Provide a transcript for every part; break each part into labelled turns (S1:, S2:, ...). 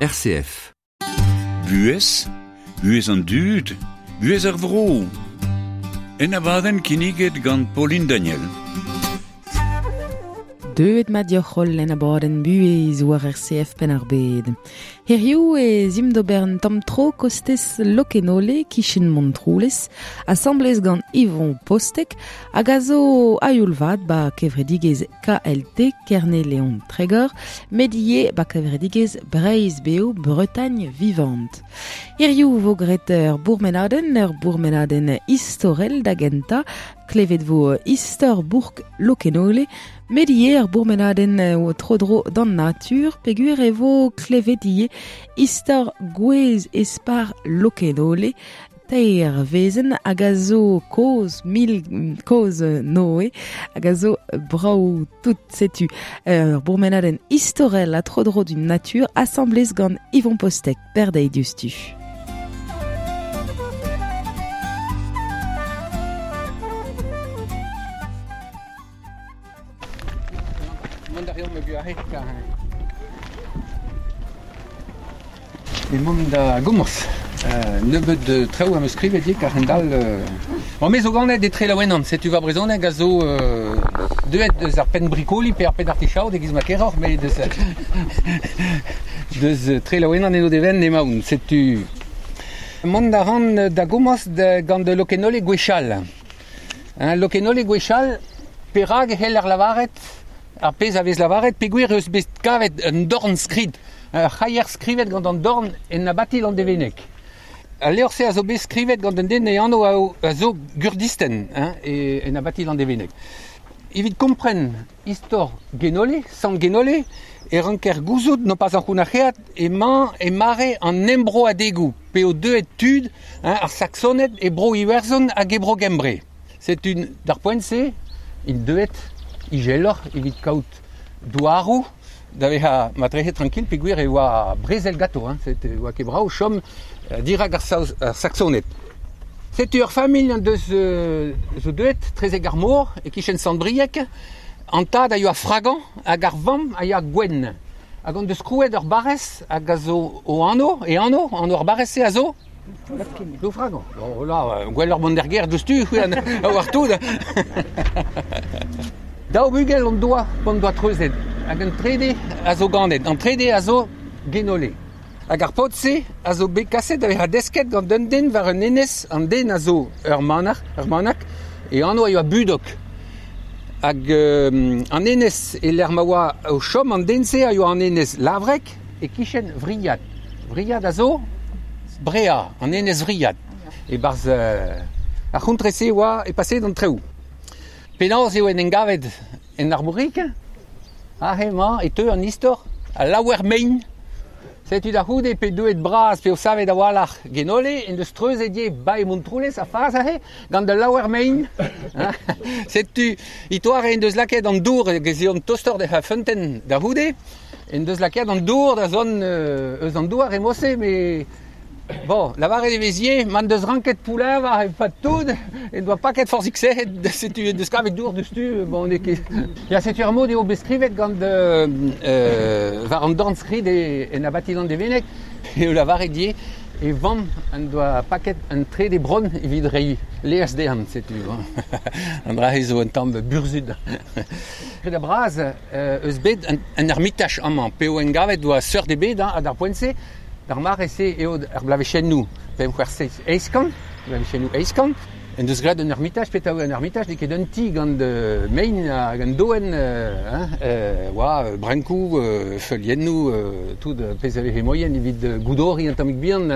S1: RCF.
S2: Buhez, buhez an dud, buhez ar vro. En abadenn kinniget gant Pauline Daniel.
S3: Deuet mat deoc'h holl en abadenn buhez war RCF Penn-ar-Bed. Hiziv ez imp d'ober un tamm tro kostez Lokenole, kichen Montroulez, asambles gant Yvon Postek, hag a zo a-youl vat ba kevredigezh KLT Kerne-Leon Tregor, met ivez ba kevredigezh Breizh Bev Bretagne Vivante. Hiziv vo graet ur bourmenadenn, ur bourmenadenn istorel da gentañ, Klevet vo istor bourk Lokenole, met ivez ur bourmenadenn tro-dro d'an natur, peogwir e vo klevet ivez istor gwez espar Lokenole, teir wezenn hag a zo kozh, mil kozh Noe, hag a zo brav tout. Setu ur bourmenadenn istorel ha tro-dro d'un natur asambles gant Yvon Postek, berdeiz diouzhtu.
S4: Mont a reomp aze kar emaomp da gomañs. Nebeut traoù am eus skrivet ivez kar a-hend-all. Bon, me zo ganet etre Laouenan, setu va brezhoneg a zo deuet eus ar penn brikoli pe ar penn artichaod e-giz ma keroc'h, met deus deus Trelaouenan eno devenn emaon. Setu mont a ran da gomañs gant Lokenole gwechall. Hein, Lokenole gwechall, perak e c'heller lavaret ar pezh a vez lavaret peogwir eus bet kavet un dornskrid, ur c'haier skrivet gant an dorn en abati Landevenneg. Al levr-se a zo bet skrivet gant un den e anv a zo Gurdisten hein, en abati Landevenneg. Evit kompren istor Genole, Sant Genole, e ranker gouzout nopas ankounac'heat emañ e mare an embroadegoù p'eo deuet tud hein, ar Saksoned e Bro-Iwerzhon hag e Bro-Gembre. Setu d'ar poent-se int deuet izeloc'h evit kaout douaroù da vezañ matrehe trankil peogwir e oa brezel ganto, hein, e oa ket brav chom dirak ar, Saoz, ar Saksoned. Setu ur familh en deus zo deuet trezek ar mor e-kichen Sant-Brieg. An tad a yoa Fragan hag ar vamm a yoa Gwenn. Hag on deus krouet ur barrez hag a zo o anv, e anv, anv ar barrez-se a zo Ploufragan. Oh là, gwelloc'h mont d'ar gêr diouzhtu, c'hwi a oar tout. Daou bugel hon doa p'on doa treuzet hag an trede a zo ganet. An trede a zo Genole. Hag ar paotr-se a zo bet kaset da vezañ desket gant un den war un enez. An den a zo ur manac'h, ur manac'h, e anv a yoa Budok. Hag an enez e-lec'h ma oa o chom an den-se a yoa an enez Lavreg e-kichen Vriad. Vriad a zo Brea, an enez Vriad. E-barzh ar c'hontre-se e oa e paseet an traoù. Penaos eo en em gavet en Arvorig? Aze emañ e teu an istor a laouer mein. Setu da c'houde pe deuet bras p'eo savet a-walc'h Genole en deus treuzet ivez bae Montroulez a fas aze gant al laouer mein. Setu itoare en deus lakaet an dour hag ez eont tostoc'h d'he feunteun da c'houde en deus lakaet an dour da zont eus an douar e mod-se met Bon, lavaret e vez ivez, ma en deus ranket pouleñvañ e-pad tout, en doa paket forzhik sec'hed, setu en deus kavet dour diouzhtu, bon, n'eo ket... Ya, setu ar mod eo bet skrivet gant war an dornskrid en abati Landevenneg, eo lavaret ivez e vamm en doa paket un trede bronn evit reiñ laezh dezhañ, setu. An dra-se zo un tamm burzhud. Ret bras eus bet un ermitaj amañ, p'eo engavet oa seurt ebet ha d'ar poent-se, D'ar mare-se eo ar bloavezhennoù pemp c'hwec'h seizh eizh kant, bloavezhennoù eizh kant, en deus graet un ermitaj. Petra eo un ermitaj? N'eo ket un ti gant mein hag un doenn, hein, oa brankoù, feuliennoù, tout pezh a veze moaien evit goudoriñ un tammig bihan,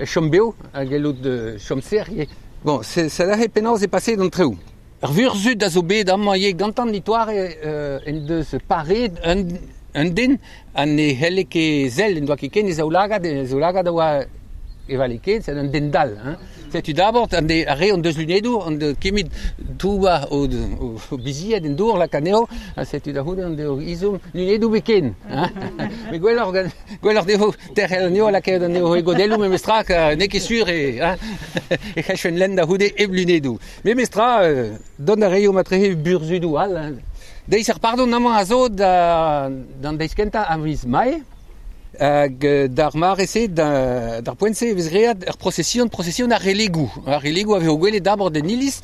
S4: chom bev ha gellout chom serr ivez. Bon, sed aze penaos eo paseet an traoù. Ur vurzhud a zo bet amañ ivez gantañ nitoare en deus pareet un den ha ne c'helle ket sell, en doa ket ken e zaoulagad, e zaoulagad a oa e vale ket, c'est un den dall. Hein. Setu d'abord an ar re hon deus lunedoù, on deus kemit toubañ o, o, o bizied en dour lak anezho, ha setu da c'houde on deo izom lunedoù bet ken. Hein. Mais gwelloc'h, gwelloc'h dezho terc'hel anezho, lakaet anezho e godelloù memestra, n'eo ket sur e, hein, e c'hellfen lenn da c'houde hep lunedoù. Memestra, dont a reio matrehe burzhudoù all. Hein. Deiz ar pardon amañ a zo d'an deiz kentañ a viz Mae. Hag d'ar mare-se, d'ar poent-se, e vez great ur prosesion ar relegou. Ar relegou a vez o gwelet d'abord en iliz,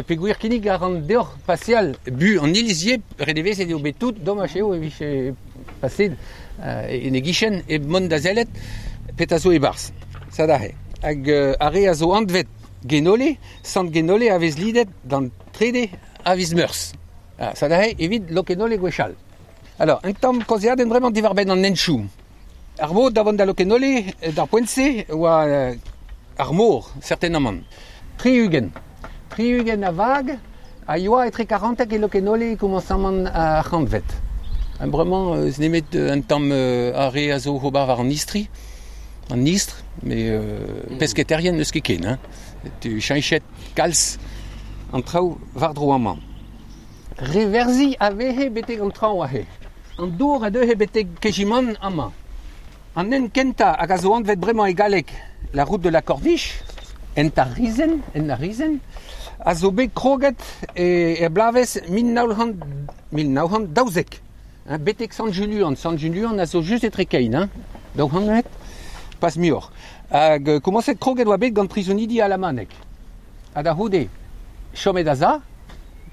S4: peogwir kinnig a ran deoc'h paseal bu an iliz ivez, renevezet eo bet tout, domaj eo e vije paset en e gichen hep mont da sellet petra zo e-barzh. Sad aze. Hag ar re a zo anvet Genole, Sant Genole a vez lidet d'an trede a viz Meurzh. Sad aze evit Lokenole gwechall. Alors, un tamm kaozeadenn bremañ diwar-benn an henchoù. Ar mod da vont da Lokenole, d'ar poent-se, oa ar mor, certainement. 60. 60 a vag a yoa etre 40 e Lokenole e komañsamant ar c'hantved. Bremañ eus nemet un tamm ar re a zo ober war an istri, an istr, met pesketerien n'eus ket ken. Hein. Tu cheñchet kalz an traoù war-dro amañ. Reverzhi a vehe betek an traoñ aze. An dour a deuhe betek Kejimant amañ. An hent kentañ hag a zo anvet bremañ e galleg la route de la Corniche, hent ar rizenn, hent ar rizenn, a zo bet kroget er bloavezh 1912, hein, betek Sant-Juluan. Sant-Juluan a zo just etre kein, hein, 200 metr, pas muioc'h. Hag komañset kroget oa bet gant prizonidi alamanek. Ha da c'houde, chomet a-za,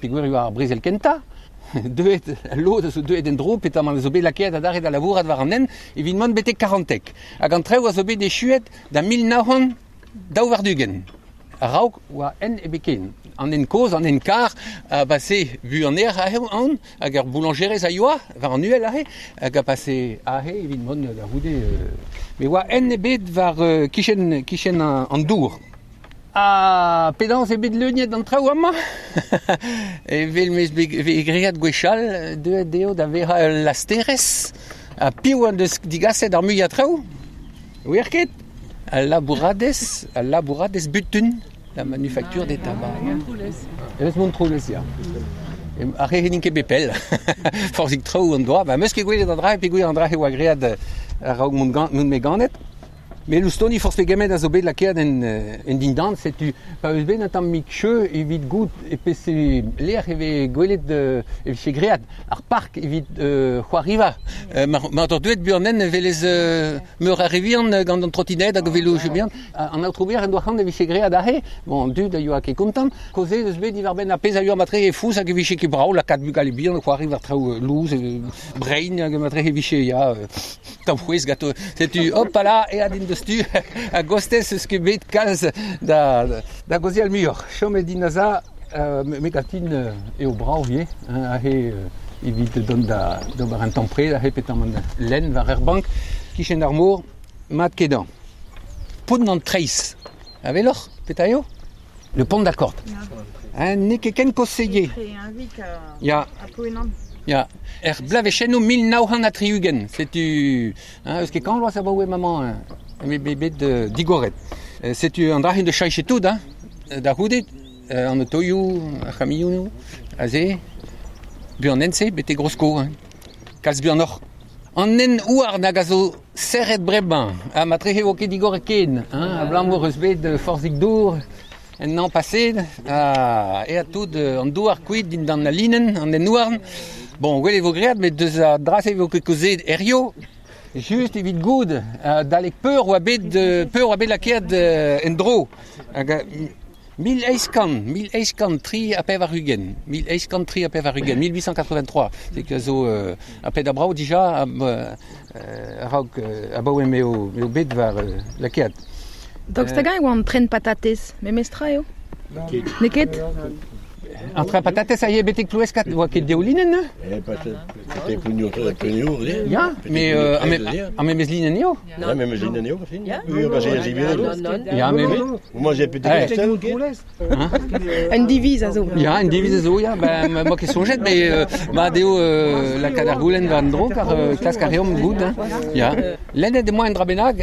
S4: peogwir e oa ar brezel kentañ, deuet, lod a zo deuet en-dro, petamant a zo bet lakaet adarre da labourat war an hent evit mont betek 40. Hag an traoù a zo bet echuet da 1922. A-raok oa hent ebet ken. An hent kozh, an hent kar, a base buan-aer aze aon, hag ur boulanjerez a yoa war an uhel aze, hag a pase aze evit mont da c'houde. Met oa hent ebet war kichen, kichen an dour. Ha penaos eo bet leuniet an traoù amañ? Evel m'eus bet graet gwechall, deuet eo da vezañ ul lasterez. Ha piv en deus digaset ar muiañ traoù? Ouier ket? Al labouradez, al labouradez butun, la manufacture des tabacs. Eus Montroulez, ya. Ar re n'int ket bet pell. Forzhik traoù an doa. Ba, 'meus ket gwelet an dra, peogwir an dra e oa graet a-raok mont me ganet. Met loustoni forzh pegement a zo bet lakaet en dindan, setu pa eus bet un tammig cheu evit goût e pese lec'h e vez gwelet e vije graet ar park evit c'hoariva. Mar doc'h deuet buan e welez meur a re vihan gant an trotined hag o veloioù bihan. An aotrou maer en doa c'hoant e vije graet aze. Bon, an dud a yoa ket kontant. Kaozeet eus bet diwar-benn ar pezh a yoa matre e fouz hag e vije ket brav lakaat bugale bihan o c'hoari war traoù louz, brein hag matre e vije ya tamm c'hwezh ganto. Setu hopala, aet int deus tu a-gostez eus ket bet kalz da da gaozeal muioc'h. Chomet din aza, me gatin eo brav ivez, hein, aze evit dont da d'ober un tamm pred aze petamant lenn war ur bank kichen ar mor, mat kenañ. Pont an Treizh. A weloc'h petra eo? Le pont d'accord. Hein, n'eo ket ken kozh-se Ya. Ya. Er bloavezhennoù 1960, setu hein, eus ket kant vloaz abaoe maman eme bet digoret. Setu an dra-se deus cheñchet tout, hein, da c'houde, an otoioù, ar c'hamionoù, aze, buan hent-se betek Rosko, hein. Kalz buanoc'h. An hent houarn hag a zo serret bremañ, ha matrehe vo ket digoret ken, hein, abalamour eus bet forzhik dour en hañv paseet, ha aet tout an douar kuit dindan al linenn, an hent-houarn. Bon, gwell e vo graet, met deus ar dra-se e vo ket kaozeet hiziv. Just evit goût, adalek peur oa bet peur oa bet lakaet en-dro. Hag 1883, 1883, 1883, c'est que zo a ped a brav dija a-raok abaoe m'eo m'eo bet war lakaet.
S3: Daoust hag-eñ e oa an tren patatez? Memestra eo? N'eo ket?
S4: An train patatez a ye betek Ploueskad, oa ket deolinenn, hein?
S1: Eh, betek Plouneour,
S4: Ya, mais ar memes linenn eo.
S1: Ya, memes linenn eo, fin. Oui, bah, j'ai
S4: Ya, mais
S1: Moi, j'ai peut-être Castel.
S3: Un diviz a zo.
S4: Ya, un diviz a zo, ya. Ben, ma ket soñjet, mais mat eo lakaat ar goulenn war an dro, kar klask a reomp goût. Hein. Ya. Lennet emañ un dra bennak,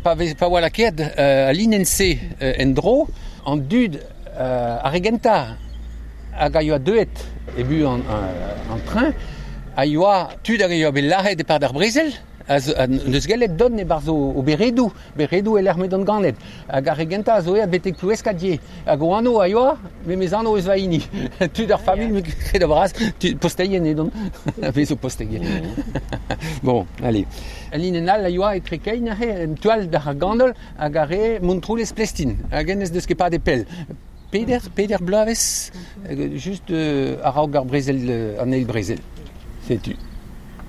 S4: pa vez pa oa lakaet al linenn-se en-dro, an dud ar re gentañ hag a yoa deuet e bu an train a yoa tud hag a yoa bet lazhet e-pad ar brezel. A neus gellet don e-barzh o beredoù, beredoù e lec'h m'edont ganet. Hag ar re gentañ a zo aet betek Ploueskad Hag o anv a yoa, memes anv eus va hini. Tud ar familh, me kred a-bras, tud posteien edont. A vez o posteien. Bon, allez. Al linenn all a yoa etre kein aze, en tu all d'ar ganol, hag ar re Montroulez Plestin. Hag hennezh deus ket padet pell. Peder bloavezh, just a-raok ar brezel, an eil brezel. Setu.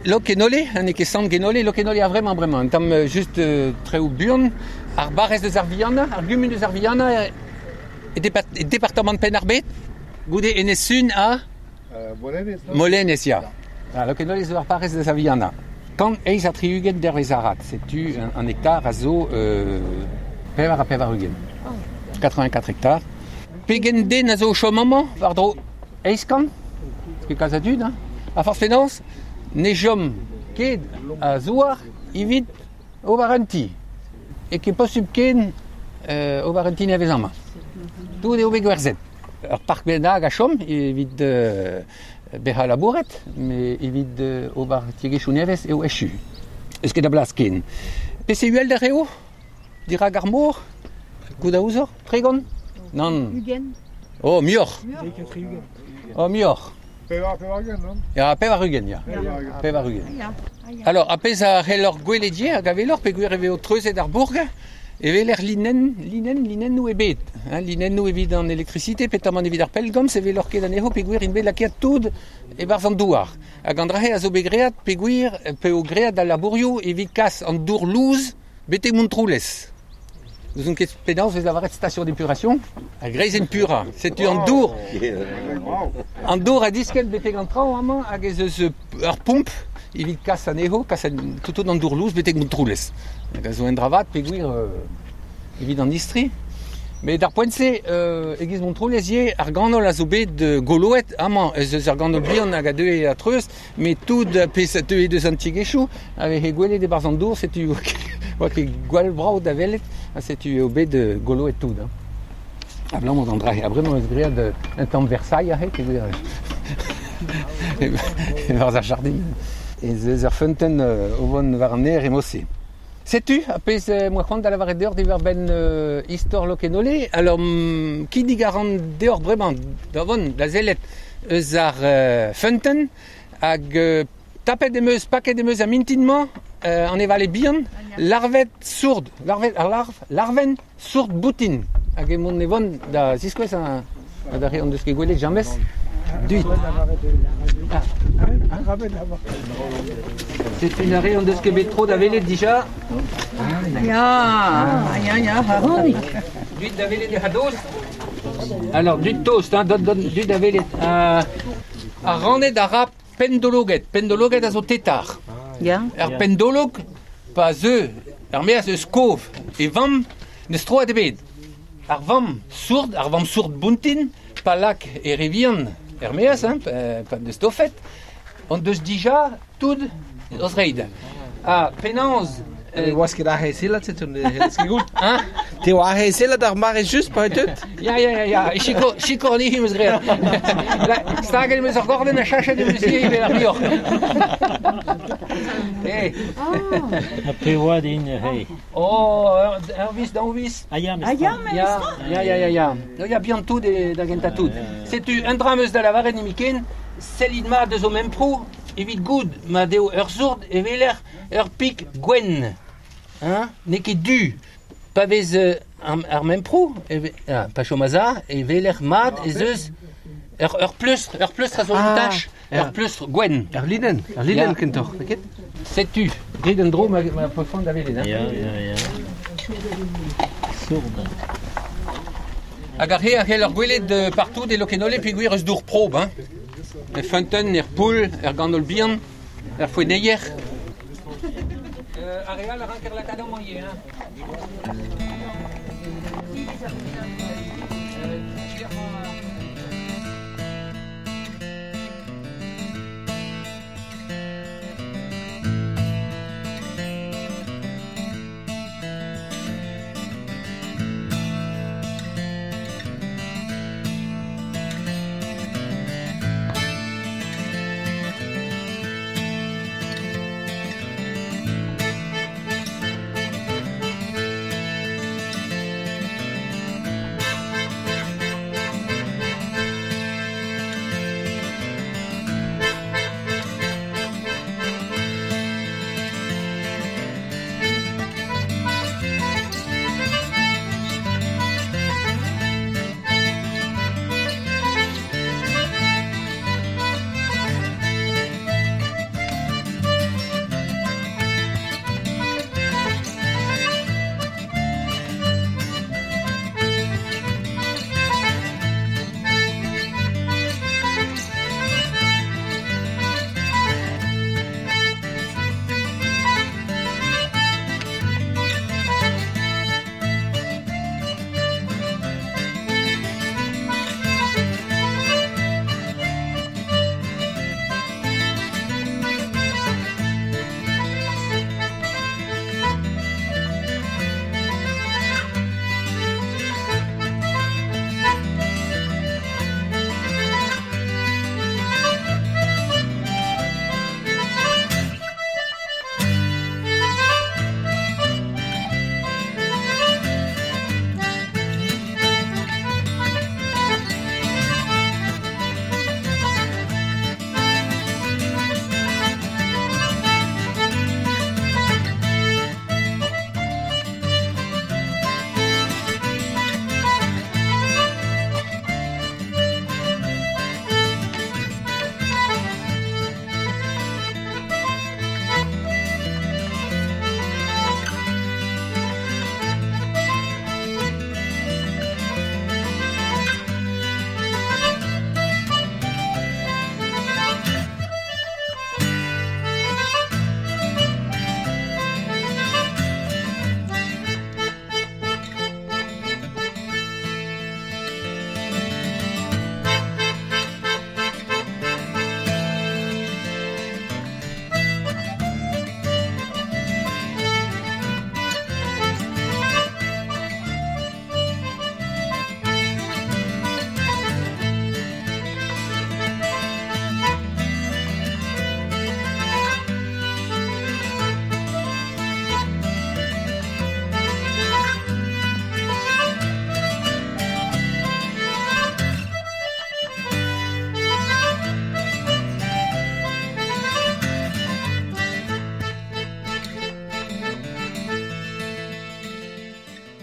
S4: Lokenole, n'eo ket Sant Genole, Lokenole a vremañ bremañ, un tamm just treoù buan. Ar barrez deus ar Viana, ar gumun deus ar Viana, e departamant Penn-ar-Bed, goude Enez-Sun ha...
S5: Molenez, non?
S4: Molenez, ya. Ah, Lokenole zo ar barrez deus ar Viana. 168 dervez arat, setu an hektar a zo 84. 84 hektar. Pegen den a zo o chom amañ, war-dro 800, ket kalz a dud, hein? A forzh penaos, ne chom ket a zouar evit ober un ti. E ket posubl ken ober un ti nevez amañ. Tout eo bet gwerzhet. Ur park bennak a chom evit bezañ labouret, met evit ober tiegezhioù nevez eo echu. Eus ket a blas ken. Peseurt uhelder eo dirak ar mor? Goût a ouzoc'h? 30? Nann.
S6: 20.
S4: Oh, muioc'h. Oh, muioc'h.
S5: 80, non?
S4: Ya, 80, ya. 80. Alors, ar pezh a c'helloc'h gwelet ivez hag a weloc'h peogwir e vezo treuzet ar bourg, e weler linenn, linenn, linennoù ebet. Hein, linennoù evit an elektrisite, petamant evit ar pellgomz, e weloc'h ket anezho peogwir int bet lakaet tout e-barzh an douar. Hag an dra-se a zo bet graet peogwir p'eo graet al labourioù evit kas an dour lous betek Montroulez. N'ouzon ket penaos vez lavaret station d'épuration, a greizenn purañ. Setu an dour. An dour a diskenn betek an traoñ amañ hag ez eus ur pomp evit kas anezho, kas tout an dour lous betek Montroulez. Hag a zo un dra vat peogwir evit an istri. Met d'ar poent-se, e-giz Montroulez ivez, ar ganol a zo bet goloet amañ. Ez eus ur ganol bihan hag a deue a-treuz, met tout pezh a teue deus an tiegezhioù a veze gwelet e-barzh an dour, setu oa ket gwall brav da welet, ha setu eo bet goloet tout. Hein. Abalamour d'an dra-se. Ha bremañ eus graet un tamm Versailles aze, peogwir e-barzh ar jardin. Ez eus ur feunteun o vont war an aer e-mod-se. Setu ar pezh moa c'hoant da lavaret deoc'h diwar-benn istor Lokenole. Alors, kinnig a ran deoc'h bremañ da vont da sellet eus ar feunteun hag tapet em eus, paket em eus ar mintin-mañ an evale bihan, larved sourd, larved, ar larv, larvenn sourd boutin. Hag emaon e vont da ziskouez da re hon deus ket gwelet james. Duit. Setu un arre hon deus ket bet tro da welet dija.
S6: Ya, ya, ya, Ronig.
S4: Duit da welet e c'hadoz. Alors, duit tost, hein, dot, dot, duit da welet. Ar raned a ra pendologed. Pendologed a zo tetar.
S6: Ya.
S4: Ar pendolog, pa zeu, ar meaz eus kov e vamm, n'eus troad ebet. Ar vamm sourd, ar vamm sourd buntin, pa lak e re vihan er meaz, hein, pa deus tofet, on deus dija tout o zreid. Ha penaos...
S7: Ne oas ket aze sellat, setu ne c'hellez ket goût.
S4: Hein?
S7: Te oa aze sellat ar mare just pa deut?
S4: Ya, ya, ya, ya, sikour anezhi em eus graet. Staget em eus ar gordenn ha chachet em eus ivez evel ar bioc'h. Hey.
S8: Ha pe oa din, hey.
S4: Oh, ur viz, daou viz.
S8: Ah ya,
S6: Ah ya,
S4: Ya, ya, ya, ya, ya. Ya, bihan tout e da gentañ tout. Setu un dra am eus da lavaret nemetken, sellit mat eus ho memproù, evit goût ma deo ur sourd e weler ur pik gwenn. Hein? N'eo ket du. Pa vez ar memproù, pa chom a-za, e weler mat ez eus ur pleustr, ur pleustr a zo un tach, ur pleustr gwenn.
S7: Ur linenn kentoc'h, n'eo ket?
S4: Setu, grit un dro ma peus da welet. Hein?
S8: Ya, ya, ya. Sourd.
S4: Hag ar re a c'hell ur gwelet partout e Lokenole peogwir eus dour prob, hein? Er feunteun, er poull, er ganol bihan, er foenneier. Ar re all a ranker lakaat amañ ivez, hein?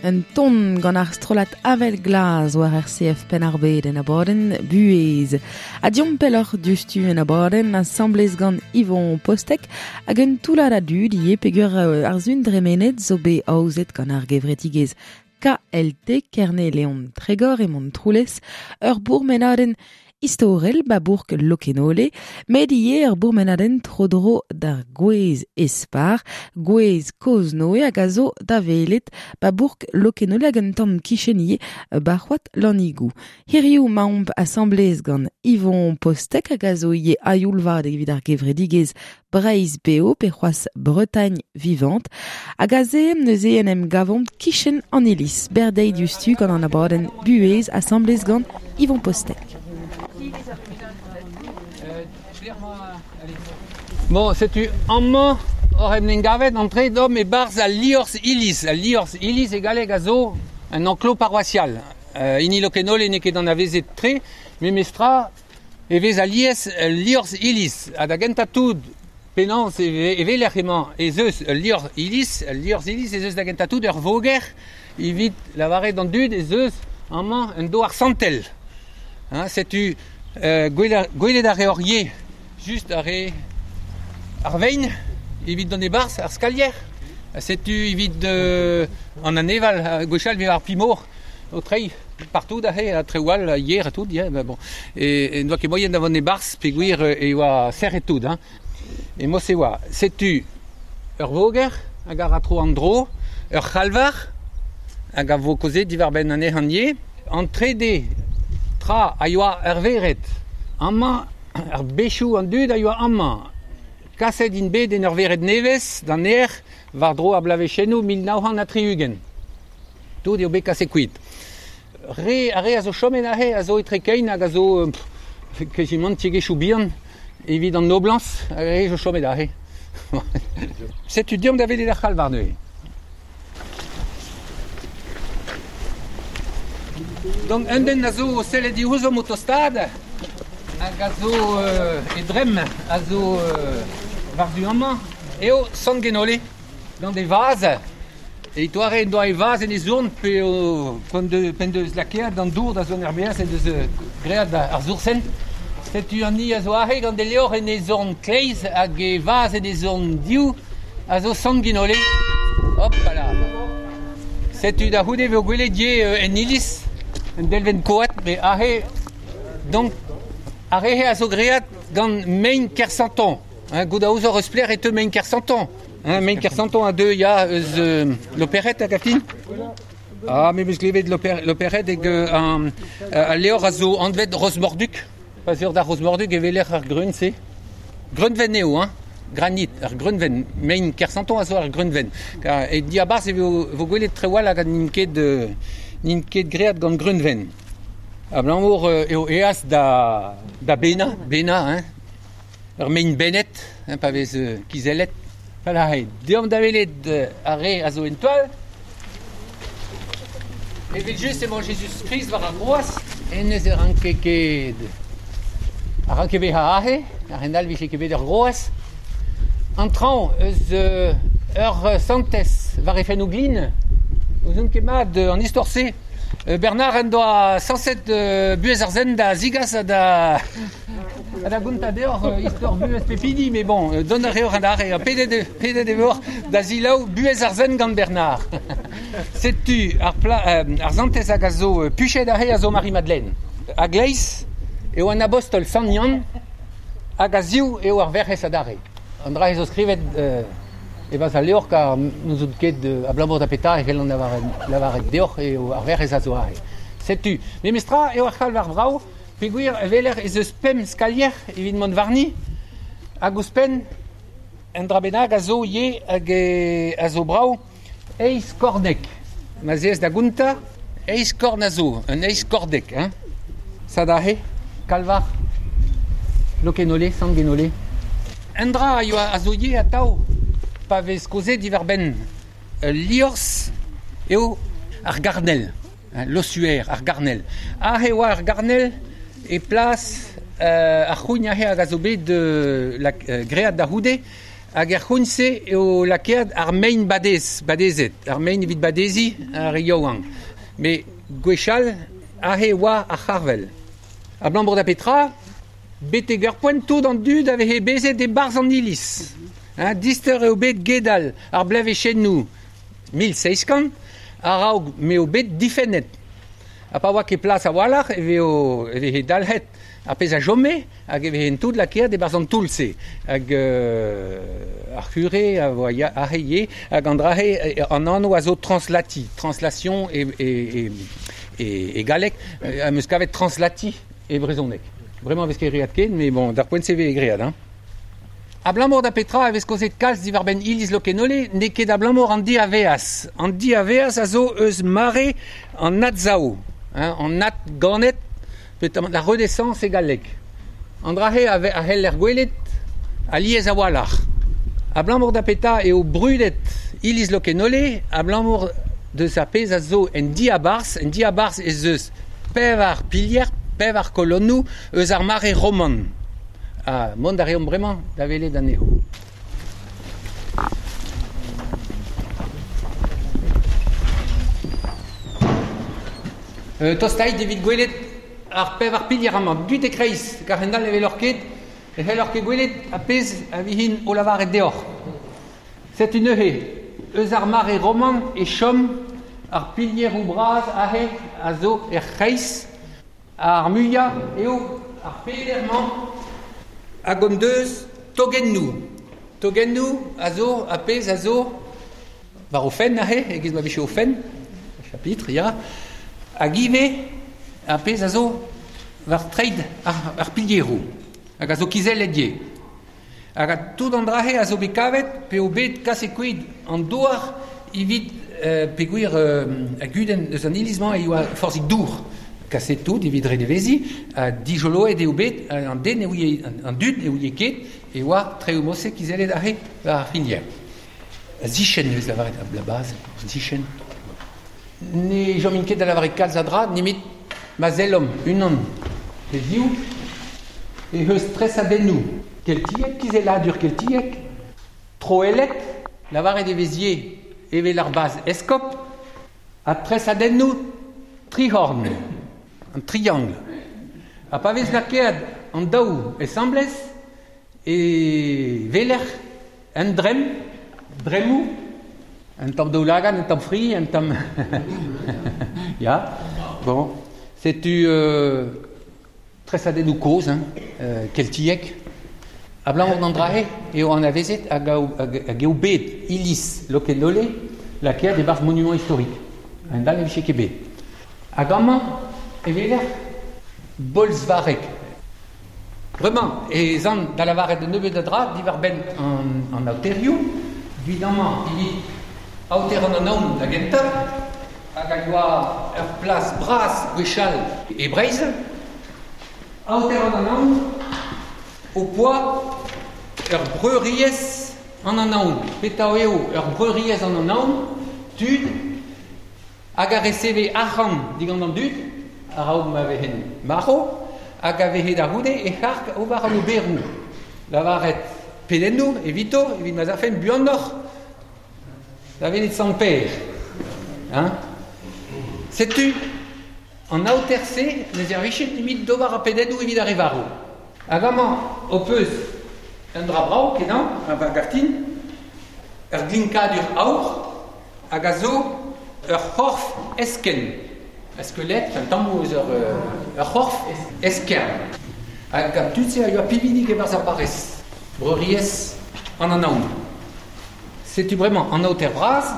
S3: Un ton gant ar strollad avel glas war RCF Penn-ar-Bed en abadenn Buhez. Ha diomp pelloc'h diouzhtu en abadenn asambles gant Yvon Postek hag un toullad a dud ivez peogwir ar sun dremenet zo bet aozet gant ar gevredigezh KLT Kerne-Leon Tregor e Montroulez ur bourmenadenn istorel ba bourk Lokenole, met ivez ur bourmenadenn tro-dro d'ar gwez espar, gwez kozh-Noe hag a zo da welet ba bourk Lokenole hag un tamm kichen ivez ba c'hoad Lannigou. Hiriv 'maomp asambles gant Yvon Postek hag a zo ivez a-youl-vat evit ar gevredigezh Breizh Beo pe c'hoazh Bretagne Vivante hag aze neuze en em gavomp kichen an iliz. Berdeiz diouzhtu gant an abadenn Buhez asambles gant Yvon Postek.
S4: Bon, setu amañ oc'h en em gavet entre domp e-barzh al liorzh iliz. Al liorzh iliz e galleg a zo un enclos paroissial. Hini Lokenole n'eo ket anavezet tre, memestra e vez alies ul liorzh iliz. Ha da gentañ tout penaos e weler emañ ez eus ul liorzh iliz, ul liorzh iliz ez eus da gentañ tout ur voger evit lavaret d'an dud ez eus amañ un douar santel. Hein, setu gwelet ar reor ivez, just ar re ar vein evit dont e-barzh ar skalier. Setu evit an aneval, gwechall vez ar pimor o treiñ partout aze, ha traoù all, yer ha tout, ya, ben bon. E n'oa ket moaien da vont e-barzh peogwir e oa serret tout, hein. E mod-se oa, setu ur voger hag a ra tro an dro, ur c'halvar hag a vo kaozeet diwar-benn anezhañ ivez. An trede tra a yoa ur vered. Amañ, ar bezhioù an dud a yoa amañ. Kaset int bet en ur vered nevez d'an aer war-dro ar bloavezhennoù 1960. Tout eo bet kaset kuit. Re, ar re a zo chomet aze a zo etre kein hag a zo kezimant tiegezhioù bihan evit an noblañs, ar re zo chomet aze. Setu deomp da welet ar c'halvar neuze. Donc un den a zo o sellet diouzhomp o tostaat hag a zo e dremm a zo war-du amañ eo Sant Genole gant e vazh. E doare en doa e vazh en e zourn pe p'en deus lakaet an dour da zont er-maez en deus graet ar soursenn. Setu an hini a zo aze gant e levr en e zorn kleiz hag e vazh en e zorn div a zo Sant Genole. Hop là. Setu da c'houde vo gwelet ivez en iliz un delvenn koad, met aze donc ar re a zo graet gant mein Kersanton. Hein, goût a ouzoc'h eus pelec'h e teu mein Kersanton. Hein, mein Kersanton a deu ya eus Loperet hag a fin. Ah, me 'meus klevet Loperet hag al levr a zo anvet Rosmorduc. Pa zeur da Rosmorduc e weler ar greun-se. Greunven eo, hein. Granit, ar greunven. Mein Kersanton a zo ar greunven. E diabarzh e vo gwelet traoù all hag n'int ket graet gant greunven. Abalamour eo eas da benañ, hein. Ur mein bennet, hein, pa vez kizellet. Voilà, deomp da welet ar re a zo en toal. Evel just emañ Jezuz-Krist war ar groaz. Hennezh e ranke ket a ranke bezañ aze, a-hend-all 'vije ket bet ur groaz. An traoñ eus ur santez war he fennoù glin. N'ouzon ket mat an istor-se. Bernard en doa sañset buhez ar sent da zigas ha da da gontañ deoc'h istor buhez pep hini, met bon, dont a reoc'h adarre, ha pedet e voc'h da selaou buhez ar sent gant Bernard. Setu ar ar santez hag a zo puchet aze a zo Marie-Madeleine. A-gleiz eo an abostol Sant Yann hag a-ziv eo ar Werc'hez adarre. An dra zo skrivet e-barzh al levr kar n'ouzon ket abalamour da petra e c'hellan lavaret deoc'h eo ar Werc'hez a zo aze. Setu, memestra eo ar c'halvar brav peogwir e weler ez eus pemp skalier evit mont warni hag ouzhpenn un dra bennak a zo ivez hag a zo brav eizh korneg. Ma 'z ez da gontañ, eizh korn a zo, un eizh kordeg, hein. Sad aze, kalvar Lokenole, Sant-Genole. Un dra a yoa a zo ivez atav pa vez kaozeet diwar-benn ul liorzh eo ar garnel, l'ossuaire, ar garnel. Aze e oa ar garnel e plas ar c'hougn aze hag a zo bet graet da c'houde. Hag er c'houn-se eo lakaet ar mein badez, badezet, ar mein evit badezi ar re yaouank. Me gwechall aze oa ar c'harvel. Abalamour da petra, betek ur poent tout an dud a veze bezet e-barzh an iliz. Hein, dister eo bet gedal ar blevezhennoù 1700 a-raok m'eo bet difennet. Ha pa oa ket plas a-walc'h e vezo e veze dalc'het ar pezh a chome hag e veze tout lakaet e-barzh an toull-se. Hag ar c'hure a voa aze ivez hag an dra-se an anv a zo translati, translation e, e, e, e, e galleg, am eus kavet translati e brezhoneg. Bremañ vez ket great ken, mais bon, d'ar poent-se vez great, hein. Abalamour da petra e vez kaozet kalz diwar-benn iliz Lokenole, n'eo ket abalamour an diaveaz. An diaveaz a zo eus mare an adsav, hein, an adganet, peotramant la Renaissance e galleg. An dra-se a c'heller gwelet alies a-walc'h. Abalamour da petra eo brudet iliz Lokenole, abalamour deus ar pezh a zo en diabarzh, en diabarzh ez eus pevar pilier, pevar kolonnoù eus ar mare roman. Ha mont a reomp bremañ da welet anezho. Tostait evit gwelet ar pevar pilier amañ. Deuit e-kreiz, kar hend-all ne weloc'h ket, ne c'helloc'h ket gwelet ar pezh a vihin o lavaret deoc'h. Setu neuze, eus ar mare roman e chom ar pilieroù bras aze a zo er c'hreiz. Ar muiañ eo ar peder-mañ hag hon deus togennoù. Togennoù a zo ar pezh a zo war o fenn aze, e-giz ma vije o fenn, chapitre, ya. Hag ivez ar pezh a zo war treid ar pilieroù, hag a zo kizellet ivez. Hag tout an dra-se a zo bet kavet p'eo bet kaset kuit an douar evit peogwir a gudenn eus an iliz-mañ e oa forzhik dour. Kaset tout evit reneveziñ, ha dijoloet eo bet an den ne ouie, an dud ne ouie ket e oa traoù mod-se kizellet aze war ar c'hinier. A-zichenn e vez lavaret la base, a-zichenn. Ne chomin ket da lavaret kalz a dra nemet ma sellomp unan pe ziv eh eus tresadennoù keltiek, kizelladur keltiek, troellet, lavaret e vez ivez evel ar baz eskob, ha tresadennoù tric'horn, an triangle. Ha pa vez lakaet an daou asambles e weler un dremm, dremmoù, un tamm daoulagad, un tamm fri, un tamm... ya, bon, setu tresadennoù kozh, hein, keltiek. Abalamour d'an dra-se eo anavezet hag eo bet iliz Lokenole lakaet e-barzh monument historique. A-hend-all ne vije ket bet. Hag amañ e weler bolzvareg. Bremañ ez an da lavaret un nebeud a dra diwar-benn an aoterioù. Evit amañ evit aoter an Anaon da gentañ, hag a yoa ur plas bras gwechall e Breizh. Aoter an Anaon ho poa ur breuriezh an Anaon. Petra eo ur breuriezh an Anaon? Tud hag a reseve arc'hant digant an dud a-raok ma vezent marv, hag a veze da c'houde e c'harg ober an oberoù. Lavaret pedennoù evito, evit ma'z afent buanoc'h da welet Sant Pêr. Hein? Setu an aoter-se ne servije nemet d'ober ar pedennoù evit ar re varv. Hag amañ ho peus un dra brav kenañ, a gav din, ur glinkadur aour hag a zo ur c'horf eskenn. Ur skelett, un tamm eus ur c'horf eskern. Hag an tud-se a yoa pividik e-barzh ar barrez, breuriezh an Anaon. Setu bremañ an aoter bras,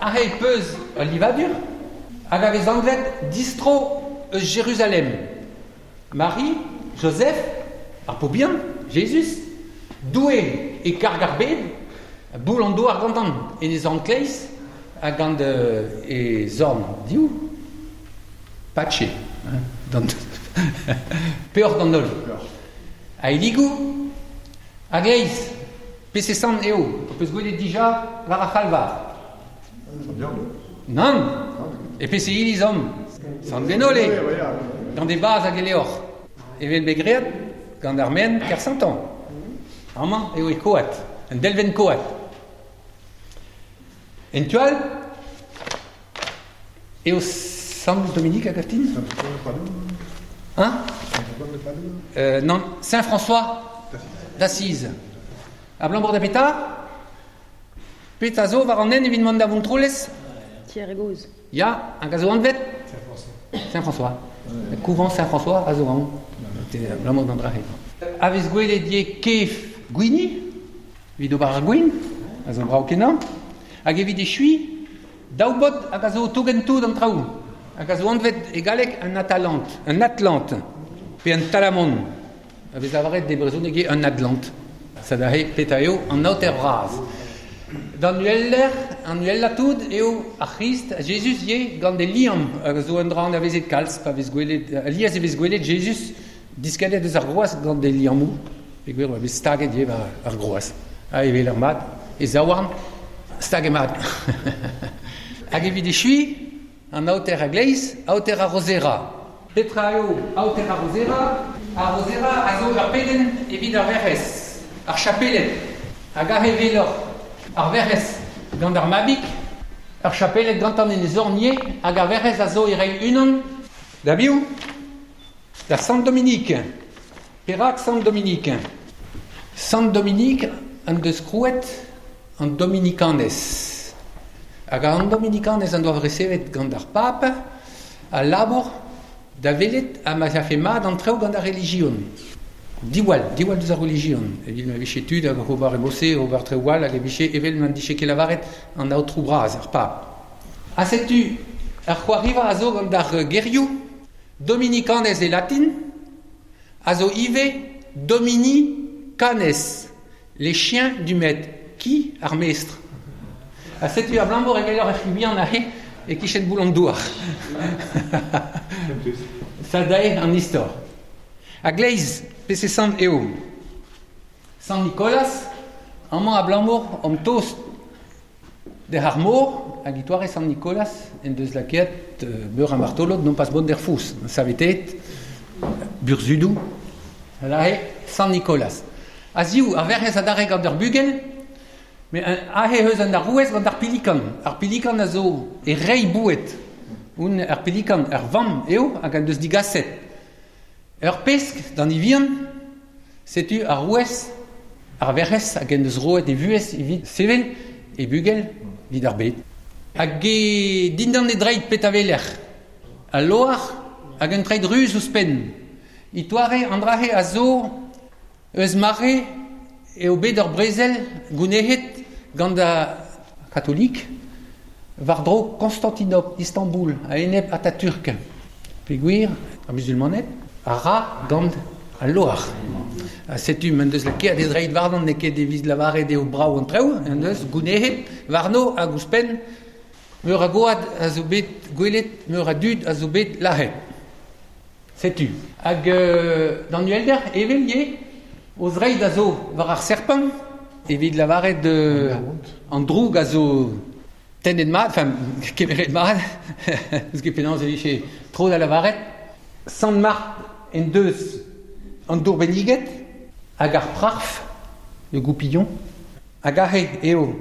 S4: aze peus ul livadur hag a vez anvet distro eus Jeruzalem. Mari, Joseph, ar paotr bihan, Jezuz, Doue e karg ar bed, boull an douar gantan en e zorn kleiz ha gant e zorn div, patche, peoc'h d'an holl. Aeligoù a-gleiz, peseurt sant eo ho peus gwelet dija war ar c'halvar? Nann, e peseurt iliz omp? Sant Gwenole, gant e vazh hag e levr. Evel bet graet gant ar maen Kersanton. Amañ eo e koad. Un delven koad. En tual, eo Sant Dominique hag aftin? Hein? Non, Saint-François d'Assise. A Blambour da Peta? Peta zo war an en evit mont da Vontroulez?
S6: Tier goz.
S4: Ya, hag a zo anvet? Saint-François. Le couvent Saint-François a zo an. Blambour d'an drahe. A vez gwelet ye kef gwini, evit ober ar gwin, a zo brao kenañ, hag evit echui, daou bot hag a zo tougen tout an traoù, hag a zo anvet e galleg un atalante, un atlante, pe un talamon, a vez lavaret de brezhoneg eo un atlante. Sa da he peta eo an aoter bras. D'an ueller, an uella tout eo ar C'hrist, a Jezuz ye gant e liamm, hag a zo un dra anavezet kalz, pa vez gwelet, alies e vez gwelet Jezuz diskennet eus ar groaz gant e liammoù, peogwir oa bet staget ivez war ar groaz. Ha evel ar mat, e zaouarn, staget mat. Hag evit echuiñ, an aoter a-gleiz, aoter ar Rozera. Petra eo aoter ar Rozera? Ar Rozera a zo ur pedenn evit ar Werc'hez, ar chapeled. Hag aze weloc'h ar Werc'hez gant ar mabig, ar chapeled gantan en e zorn ivez, hag ar Werc'hez a zo e reiñ unan da biv? Da Sant Dominique. Perak Sant Dominique? Sant Dominique en deus krouet an Dominikanez. Hag an Dominikanez en doa resevet gant ar pap al labour da welet ha ma afe mat an traoù gant ar relijion. Diwall, diwall deus ar relijion. Evit ma vije tud hag ober e bose, ober traoù all, hag e vije evel ma dije ket lavaret an aotrou bras, ar pab. Ha setu ar c'hoariva a zo gant ar gerioù Dominikanez e latin, a zo ivez Domini canes, les chiens du maître, ki ar mestr. Ha setu abalamour evel ur c'hi bihan aze e-kichen boull an douar. Sa dae an istor. A-gleiz, pese sant eo? Sant Nikolaz, amañ abalamour omp tost d'ar ar mor, hag e-toare Sant Nikolaz en deus lakaet meur a martolod non pas mont d'er foz, saveteet burzhudoù, aze Sant Nikolaz. A-ziv, ar Werc'hez adarre gant ur bugel, met aze eus an arouez gant ar pilikan. Ar pilikan a zo e reiñ boued. Oun ar pilikan, ur vamm eo hag en deus digaset ur pesk d'an vihan, setu arouez ar Werc'hez hag en deus roet e vuhez evit sevel e bugel evit ar bed. Hag e dindan e dreid petra weler? Al loar hag un treid ruz ouzhpenn. E-toare an dra-se a zo eus mare eo bet ur brezel gounezet gant ar katolik war-dro Konstantinopl, Istanbul, a-enep Atatürk. Peogwir ar musulmaned a ra gant al loar. Ha setu m'en deus lakaet e zreid warnon n'eo ket evit lavaret eo brav an traoù, en deus gounezet warno hag ouzhpenn meur a goad a zo bet gwelet, meur a dud a zo bet lazhet. Setu. Hag d'an uhelder, evel ivez, o zreid a zo war ar serpent, evit lavaret an droug a zo tennet mat, enfin, kemeret mat, n'eus ket penaos e vije tro da lavaret, Sant Marc en deus an dour benniget hag ar prarf, le goupillon, hag aze eo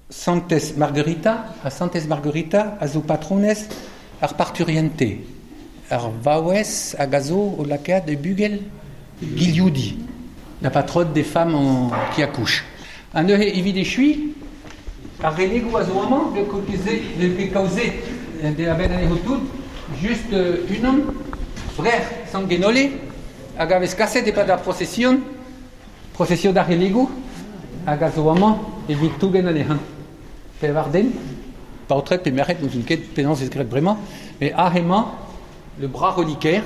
S4: Santez Margarita, ha Santez Margarita a zo patronez ar parturiente, ar vaouez hag a zo o lakaat e bugel gilioudi, la patronne des femmes en, qui accouchent. Ha neuze evit echuiñ, ar relegoù a zo amañ, bet kaozet de a-benn anezho tout, just unan, brec'h Sant Genole, hag a vez kaset e-pad ar prosesion, prosesion ar relegoù, hag a zo amañ evit tougen anezhañ. Pevar den, paotred pe merc'hed, n'ouzon ket penaos ez graet bremañ, met aze emañ le bras reliquaire,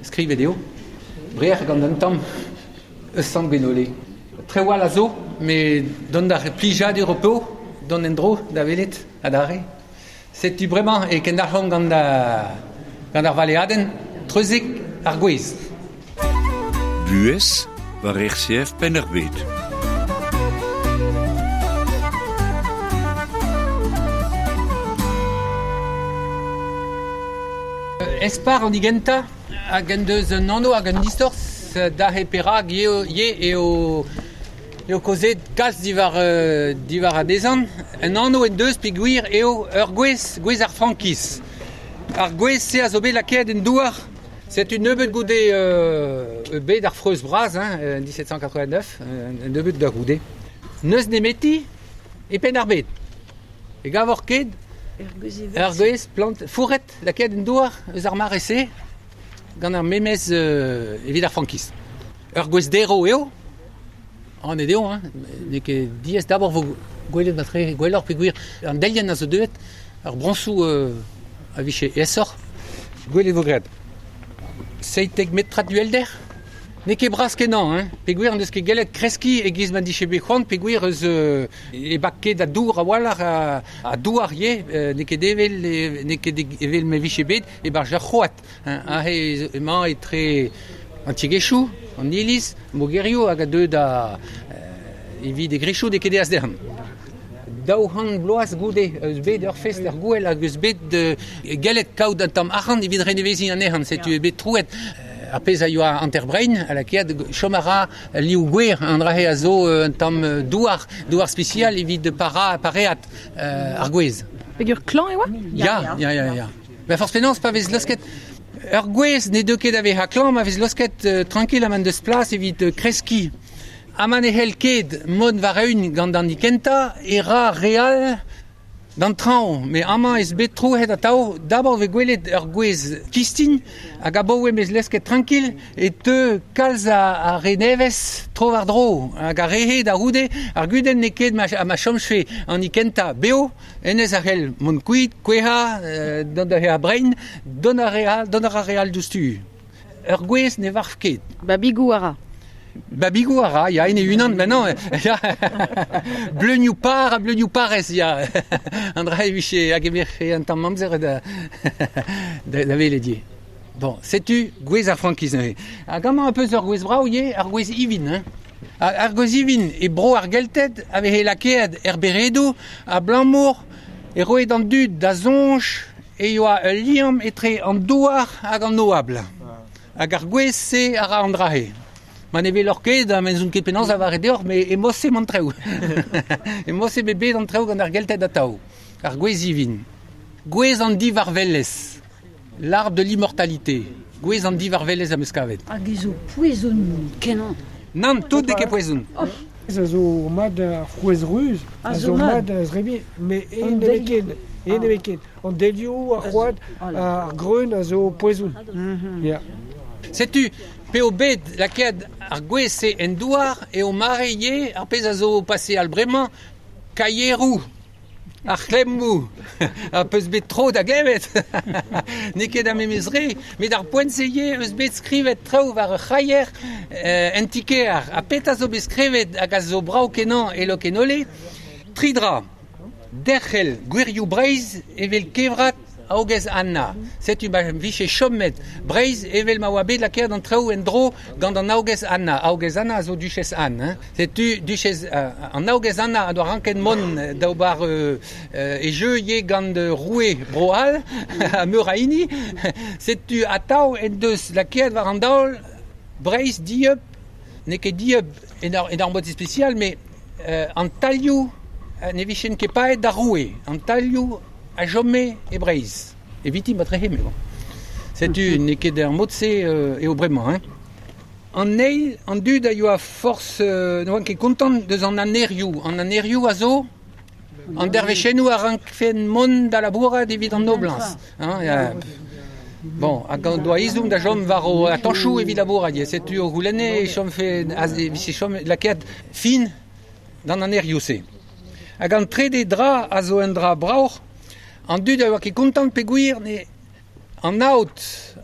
S4: skrivet eo, brec'h gant un tamm eus Sant Genole. Traoù all a zo, met dont d'ar plijadur ho po, dont en-dro da welet adarre. Setu bremañ e kendalc'homp gant gant ar valeadenn treuzek ar gwez.
S2: Buhez war RCF Penn-ar-Bed.
S4: Espar an digentañ hag en deus un anv hag un istor dahe perak eo eo Eo kozet kalz diwar, diwar anezhan. Un anv en deus peogwir eo ur gwez, gwez ar frankiz. Ar gwez-se a zo bet lakaet en douar. Setu nebeut goude bet ar freuz bras, hein, 1789, nebeut da goude. N'eus nemeti e Penn-ar-Bed. E gavor ket ur gwez plant fourret lakaet en douar eus ar mare-se gant ar memez evit ar frankiz. Ur gwez derv eo, an eo, hein, n'eo ket diaes d'abord vo gwelet matre gwelloc'h peogwir an delienn a zo deuet, ar brañsoù a vije aesoc'h. Gwelet vo graet. 17 metrad uhelder. N'eo ket bras kenañ, hein, peogwir n'eus ket gellet kreskiñ e-giz ma dije bet c'hoant, peogwir eus e bak ket a dour a-walc'h a douar ivez, n'eo ket evel n'eo ket evel ma vije bet e-barzh ur c'hoad. Hein, aze emañ etre an tiegezhioù, an iliz, mogerioù hag a deu da evit e grechoù n'eo ket aes dezhañ. 200 bloaz goude eus bet ur fest ar gouel hag eus bet gellet kaout un tamm arc'hant evit reneveziñ anezhañ, setu eo bet troet ar pezh a yoa hanter-brein a lakaet chom a ra liv gwer an dra-se a zo un tamm douar, douar spesial evit para, pareat ar gwez.
S3: Peger klañv e oa?
S4: Ya, ya, ya, ya. Ben forzh penaos pa vez laosket ur gwez ne deu ket da vezañ klañv, ma vez laosket tranquil ha ma deus plas evit kreskiñ. Ha ma ne c'hell ket mont war-eeun gant an kentañ e ra re all d'an traoñ. Met amañ ez bet troet atav, d'abord vez gwelet ur gwez kistin hag abaoe m'ez lesket tranquil e teu kalz a re nevez tro-war-dro. Hag ar re-he da c'houde, ar gudenn n'eo ket ma chomfe an kentañ bev, hennezh a c'hell mont kuit, kouezhañ, dont da vezañ brein, dont a ra re all diouzhtu. Ur gwez ne varv ket.
S3: Babigoù a ra.
S4: Babigoù a ra, ya, en e unan, maintenant, ya. Bleunioù par ha bleunioù parez, ya. An dra e vije hag e vefe un tamm amzer da, da welet ivez. Bon, setu gwez ar frankiz neuze. Hag amañ un peus ur gwez brav ivez, ar gwez ivin, hein. Ar gwez ivin e bro ar Gelted a veze lakaet er beredoù abalamour e roe d'an dud da soñj e oa ul liamm etre an douar hag an oabl. Hag ar gwez-se a ra an dra-se. Ma ne weloc'h ket, ha n'ouzon ket penaos lavaret deoc'h, met emañ-se an traoù. Emañ-se bet bet an traoù gant ar Gelted atav. Ar gwez ivin. Gwez an divarvelezh. L'arbre de l'immortalité. Gwez an divarvelezh am eus kavet.
S6: Hag e zo poezon kenañ.
S4: Nann, tout n'eo ket poezon.
S5: A zo mat ar frouezh ruz, a zo mat a zrebi, met en ne vez ket, en ne vez ket. An delioù, ar c'hoad, ar greun a zo poezon. Ya.
S4: Setu, p'eo bet lakaet ar gwez-se en douar eo mare ivez ar pezh a zo pase al bremañ, kaieroù, ar c'hlemmoù, ar peus bet tro da glevet. N'eo ket ar memes re, met ar poent-se ivez eus bet skrivet traoù war ur c'haier en ti-kêr. Ha petra zo bet skrivet hag a zo brav kenañ e Lokenole? Tri dra. Derc'hel gwirioù Breizh evel kevrat Aogez Anna. Setu ma vije chomet Breizh evel ma oa bet lakaet an traoù en-dro gant an Aogez Anna. Aogez Anna a zo duchess Anne. Hein. Setu duchess an Aogez Anna a doa ranket mont d'ober e jeu ivez gant roue Bro-C'hall ha meur a hini. Setu atav en deus lakaet war an daol Breizh dieub, n'eo ket dieub en ur mod ispisial, met an tailhoù ne vijent ket paeet d'ar roue. An tailhoù a chome e Breizh. Eviti matrehe, mais bon. Setu n'eo ket ar mod-se eo bremañ, hein. An eil, an dud a yoa forzh ne oant ket kontant deus an anerioù. An anerioù a zo an dervezhennoù a rankfen mont da labourat evit an noblañs. Hein, ya. Bon, hag an doa ezhomm da chom war o atañchoù evit labourat. Setu o c'houlenne e chomfe e vije chom lakaet fin d'an anerioù-se. Hag an trede dra a zo un dra braoc'h, an dud a oa ket kontant peogwir ne an aod,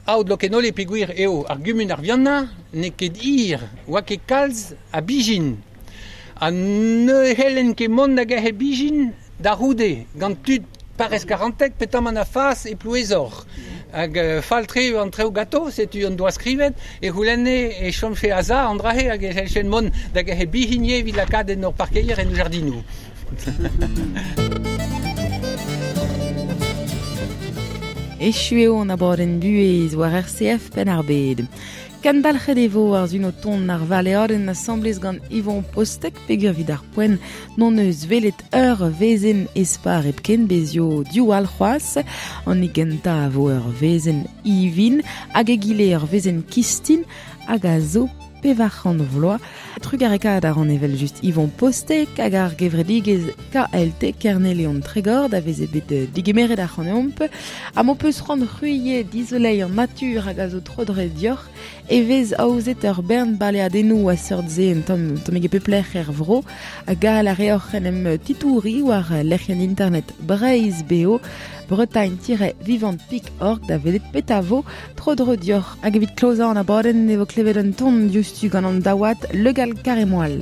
S4: aod Lokenole peogwir eo ar gumun ar Vianna n'eo ket hir, oa ket kalz a bijin. Ha ne c'hellen ket mont da gerc'het bijin da c'houde gant tud parrez Karanteg petamant a fas e Plouezoc'h. Hag fall-tre eo an traoù ganto, setu an doa skrivet, e c'houlenne e chomfe a-za an dra-se hag e c'hellfen mont da gerc'het bijin ivez evit lakaat en hor parkeier en jardinoù.
S3: Echu eo an abadenn buhez war RCF Penn-ar-Bed. Kendalc'het e vo ar zun o ton ar valeadenn asamblez gant Yvon Postek peogwir evit ar poent n'hon eus welet ur wezenn espar hepken bezio div all c'hoazh. An hini gentañ a vo ur wezenn ivin hag egile ur wezenn kistin hag a zo 400 vloaz. Trugarekaat a ran evel-just Yvon Postek hag ar gevredigezh KLT Kerne-Leon Tregor da veze bet digemeret ac'haneomp. Ha m'ho peus c'hoant c'hwi dizoleiñ an natur hag a zo tro-dro deoc'h e vez aozet ur bern baleadennoù a seurt-se un tamm tammig e pep lec'h er vro. Ha gall a reoc'h en em titouriñ war lec'hienn internet Breizh Beo bretagne-vivante.org da welet petra vo tro-dro deoc'h. Hag evit klozañ an abadenn e vo klevet un ton diouzhtu gant an daouad Le Gall Carémoal.